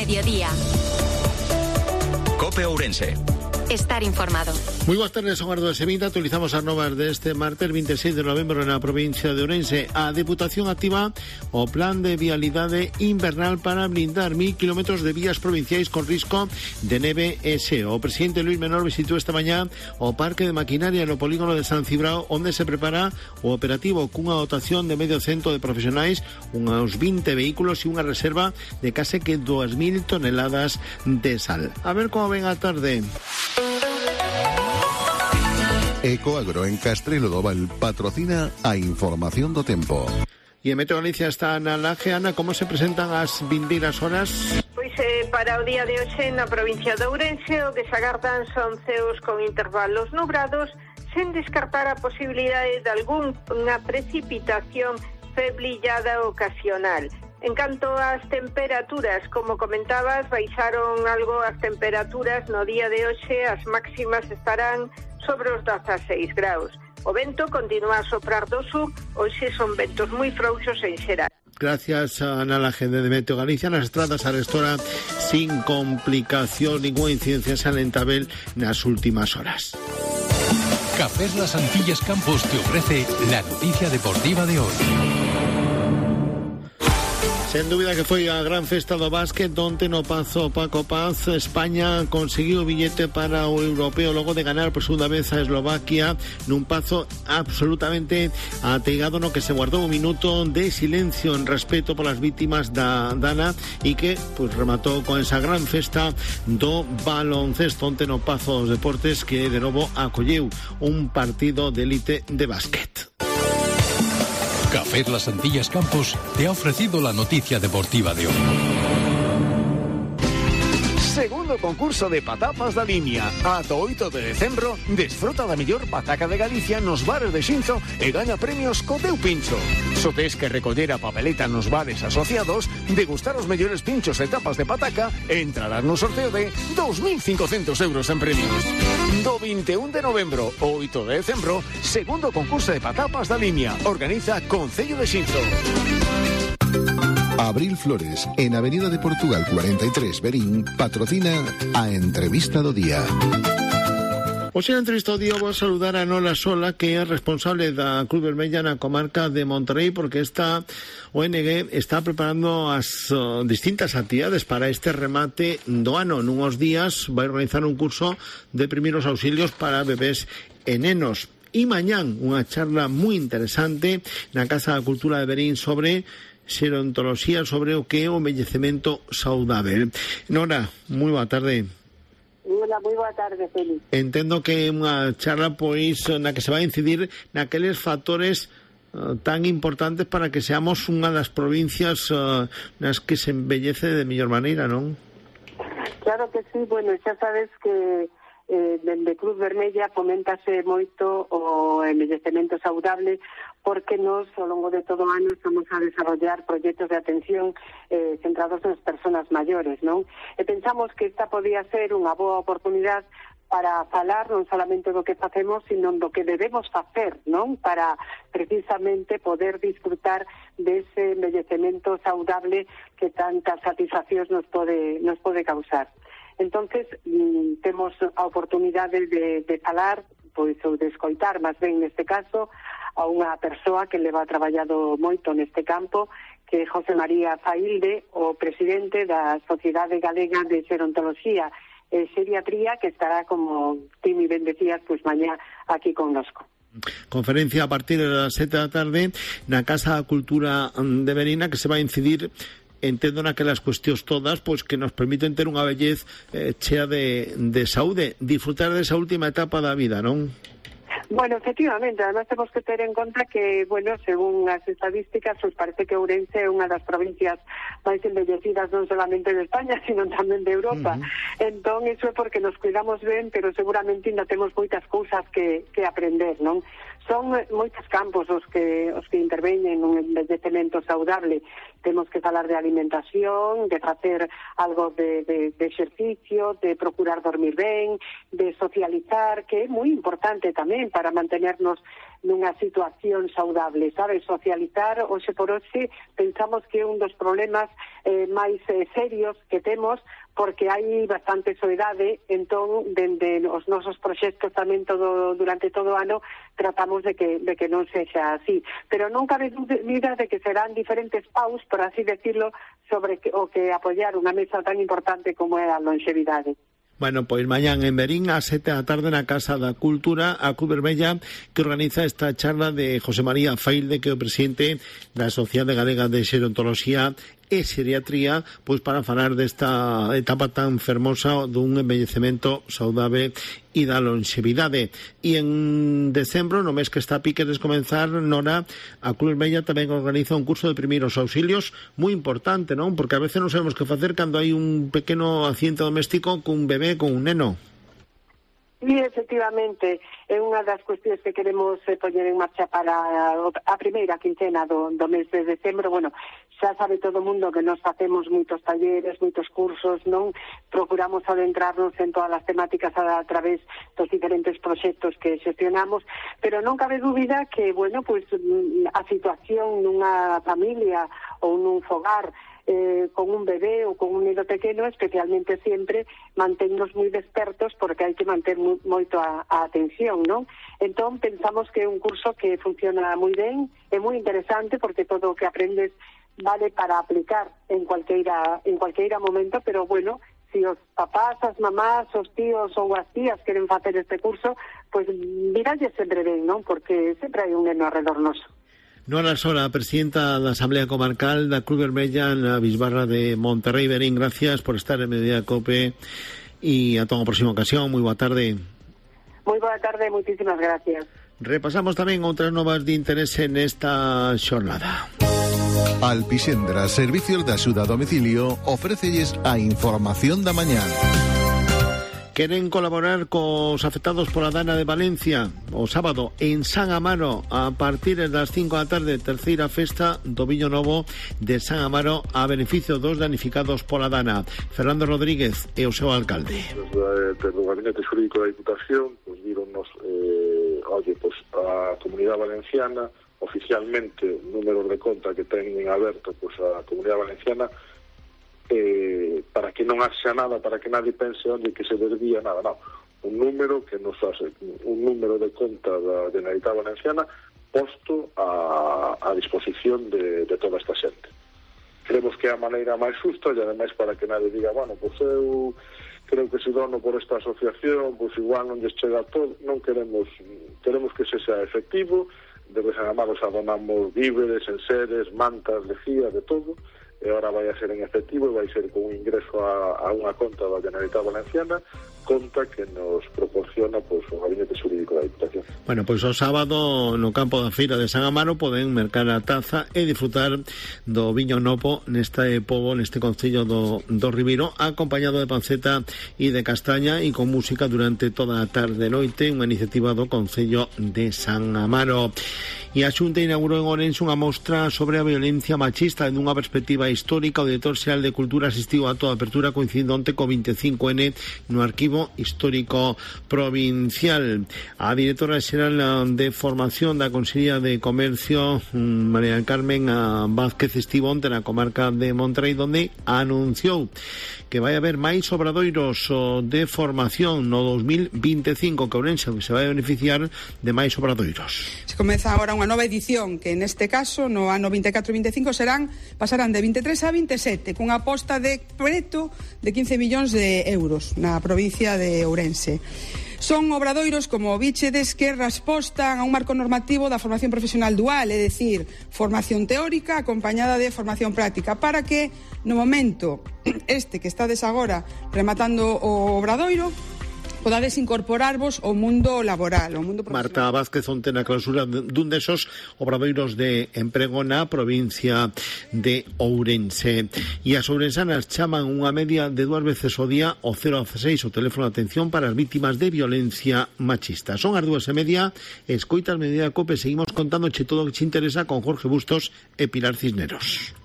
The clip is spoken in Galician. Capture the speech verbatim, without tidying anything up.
mediodía. COPE Ourense. Estar informado. Moi boas tardes, son as doce e vinte. Actualizamos as novas deste martes veintiséis de novembro na provincia de Ourense. A Deputación activa o plan de vialidade invernal para blindar mil kilómetros de vías provinciais con risco de neve e xeo. O presidente Luís Menor visitou esta mañá o parque de maquinaria no polígono de San Cibrao, onde se prepara o operativo cunha dotación de medio cento de profesionais, uns vinte vehículos e unha reserva de case que dúas mil toneladas de sal. A ver como ven a tarde. Ecoagro en Castrelo do Val patrocina a información do tempo. E en Meteo Galicia está Ana Laje. Ana, como se presentan as vindeiras horas? Pois eh, para o día de hoxe na provincia de Ourense o que se agardan son ceos con intervalos nubrados, sen descartar a posibilidade de algunha precipitación feblillada ocasional. En canto ás temperaturas, como comentabas, baixaron algo as temperaturas no día de hoxe, as máximas estarán sobre os dezaseis graus. O vento continúa a soprar do sur, hoxe son ventos moi frouxos en xeral. Gracias a Ana Laje de Meteo Galicia. Nas estradas a restora sin complicación, ninguna incidencia salientável nas últimas horas. Cafés Las Antillas Campos te ofrece la noticia deportiva de hoy. Sen dúbida que foi a gran festa do básquet onte no Pazo Paco Paz. España conseguiu o billete para o europeo logo de ganar por segunda vez a Eslovaquia nun Pazo absolutamente ateigado no que se guardou un minuto de silencio en respeto polas vítimas da Dana e que pues, rematou con esa gran festa do baloncesto onte no Pazo dos Deportes, que de novo acolleu un partido de élite de básquet. Café Las Antillas Campos te ha ofrecido la noticia deportiva de hoy. Segundo concurso de patapas da Limia. Ata oito de decembro, desfruta da mellor pataca de Galicia nos bares de Xinzo e gaña premios co teu pincho. Só tes que recoller a papeleta nos bares asociados, degustar os mellores pinchos e tapas de pataca e entrarás no sorteo de dos mil cincocentos euros en premios. Do vinte e un de novembro ao oito de decembro, segundo concurso de patapas da Limia. Organiza Concello de Xinzo. Abril Flores, en Avenida de Portugal cuarenta e tres, Verín, patrocina a entrevista do día. Hoxe na entrevista do día vou a saludar a Nola Sola, que é responsable da Cruz Vermella na comarca de Monterrey, porque esta O N G está preparando as uh, distintas actividades para este remate do ano. Nunhos días vai organizar un curso de primeiros auxilios para bebés e nenos. E mañán unha charla moi interesante na Casa da Cultura de Verín sobre xerontoloxía, sobre o que é o envellecemento saudável. Nora, moi boa tarde. Hola, moi boa tarde, Félix. Entendo que é unha charla pois na que se vai incidir naqueles factores uh, tan importantes para que seamos unha das provincias uh, nas que se embellece de mellor maneira, non? Claro que sí, bueno, xa sabes que eh, dende Cruz Vermella foméntase moito o envellecemento saudable, porque nos, ao longo de todo o ano, estamos a desarrollar proxectos de atención eh, centrados nas persoas maiores, non? E pensamos que esta podía ser unha boa oportunidade para falar non solamente do que facemos, sino do que debemos facer, non? Para precisamente poder disfrutar dese envellecemento saudable que tantas satisfaccións nos pode, nos pode causar. Entonces, mm, temos a oportunidade de, de falar, pois, ou de escoitar, máis ben neste caso, a unha persoa que leva traballado moito neste campo, que é José María Failde, o presidente da Sociedade Galega de Xerontoloxía e Xeriatría, que estará, como ti mi ben decías, pois mañá aquí connosco. Conferencia a partir das sete da tarde na Casa da Cultura de Verina, que se vai incidir, entendo, naquelas cuestións todas pois que nos permiten ter unha vellez eh, chea de, de saúde, disfrutar desa última etapa da vida, non? Bueno, efectivamente, además temos que ter en conta que, bueno, según as estadísticas, pues parece que Ourense é unha das provincias máis embellecidas non solamente de España, sino tamén de Europa. Uh-huh. Entón, iso é porque nos cuidamos ben, pero seguramente ainda temos moitas cousas que, que aprender, non? Son moitos campos os que os que interveñen nun envellecemento saudable. Temos que falar de alimentación, de facer algo de, de, de exercicio, de procurar dormir ben, de socializar, que é moi importante tamén para mantenernos nunha situación saudable, sabes? Socializar, hoxe por hoxe, pensamos que é un dos problemas eh, máis eh, serios que temos, porque hai bastante soidade, entón, dende os nosos proxectos tamén todo durante todo o ano, tratamos de que, de que non sexa así. Pero non cabe dúbida de que serán diferentes paus, por así decirlo, sobre que, o que apoiar unha mesa tan importante como é a longevidade. Bueno, pois mañán en Verín a sete da tarde na Casa da Cultura a Cruz Vermella, que organiza esta charla de José María Failde, que é o presidente da Sociedade Galega de Xerontoloxía e Xeriatría, pois para falar desta etapa tan fermosa dun envellecemento saudable e da longevidade. E en decembro, no mes que está a pique de comenzar, Nora, a Cruz Vermella tamén organiza un curso de primeiros auxilios moi importante, non? Porque a veces non sabemos que facer cando hai un pequeno accidente doméstico cun bebé, con un neno. E, efectivamente, é unha das cuestións que queremos eh, poñer en marcha para a primeira quincena do, do mes de decembro. Bueno, xa sabe todo o mundo que nos facemos moitos talleres, moitos cursos, non? Procuramos adentrarnos en todas as temáticas a, a través dos diferentes proxectos que xestionamos, pero non cabe dúbida que, bueno, pues a situación nunha familia ou nun fogar Eh, con un bebé ou con un niño pequeno, especialmente sempre mantennos moi despertos, porque hai que manter mu, moito a, a atención, non? Entón pensamos que é un curso que funciona moi ben, é moi interesante porque todo o que aprendes vale para aplicar en cualqueira en cualqueira momento, pero bueno, se si os papás, as mamás, os tíos ou as tías queren facer este curso, pois pues, miralle sempre ben, non? Porque sempre hai un neno alrededor noso. Nora Sola, presidenta da Asamblea Comarcal da Cruz Vermella na Bisbarra de Monterrey. Verín, gracias por estar en Mediodía Cope e ata unha próxima ocasión. Moi boa tarde. Moi boa tarde, moitísimas gracias. Repasamos tamén outras novas de interese nesta xornada. Alpixendra, Servicios de Axuda a Domicilio, ofrécelles a información da mañá. Queren colaborar cos afectados pola dana de Valencia o sábado en San Amaro a partir das cinco da tarde, terceira festa do Viño Novo de San Amaro a beneficio dos danificados pola dana. Fernando Rodríguez é o seu alcalde. Desde o Gabinete Xurídico da Diputación, pues, díronnos eh, oye, pues, a Comunidade Valenciana oficialmente números de conta que teñen aberto pues, a Comunidade Valenciana, Eh, para que non haxa nada, para que nadie pense onde que se desvía nada, non. Un número que nos hace, un número de conta da Generalitat Valenciana posto a, a disposición de, de toda esta xente. Creemos que é a maneira máis xusta e ademais para que nadie diga, bueno, pois eu creo que se dono por esta asociación, pois igual non lles chega todo. Non queremos, queremos que se sea efectivo. Desde San Amaro xa donamos víveres, enseres, mantas, lejía, de todo. E agora vai a ser en efectivo e vai ser con un ingreso a, a unha conta da Generalitat Valenciana, conta que nos proporciona pois, o Gabinete Xurídico da Diputación. Bueno, pois o sábado no campo da feira de San Amaro poden mercar a taza e disfrutar do viño novo neste pobo, neste concello do, do Ribeiro, acompañado de panceta e de castaña e con música durante toda a tarde e noite, unha iniciativa do concello de San Amaro. E a Xunta inaugurou en Ourense unha mostra sobre a violencia machista en unha perspectiva histórica. O director xeral de Cultura asistiu a toda a apertura coincidindo onte co veinticinco ene no Arquivo Histórico Provincial. A directora xeral de Formación da Consellería de Comercio, María Carmen Vázquez, estivo onte na comarca de Monterrey, donde anunciou que vai haber máis obradoiros de formación no dos mil veinticinco, que Ourense se vai beneficiar de máis obradoiros. Se comeza agora unha nova edición que neste caso no ano vinte e catro vinte e cinco serán pasarán de vinte e tres a vinte e sete, cunha aposta de preto de quince millóns de euros na provincia de Ourense. Son obradoiros, como bichedes, que respostan a un marco normativo da formación profesional dual, é dicir, formación teórica acompañada de formación práctica, para que no momento este que estades agora rematando o obradoiro podades incorporarvos ao mundo laboral, ao mundo profesional. Marta Vázquez onte na clausura dun desos obradoiros de emprego na provincia de Ourense. E as ourensanas chaman unha media de dúas veces ao día o cero dieciséis, o teléfono de atención para as vítimas de violencia machista. Son as dúas e media, escoita al Mediodía Cope, seguimos contándoche todo o que te interesa con Jorge Bustos e Pilar Cisneros.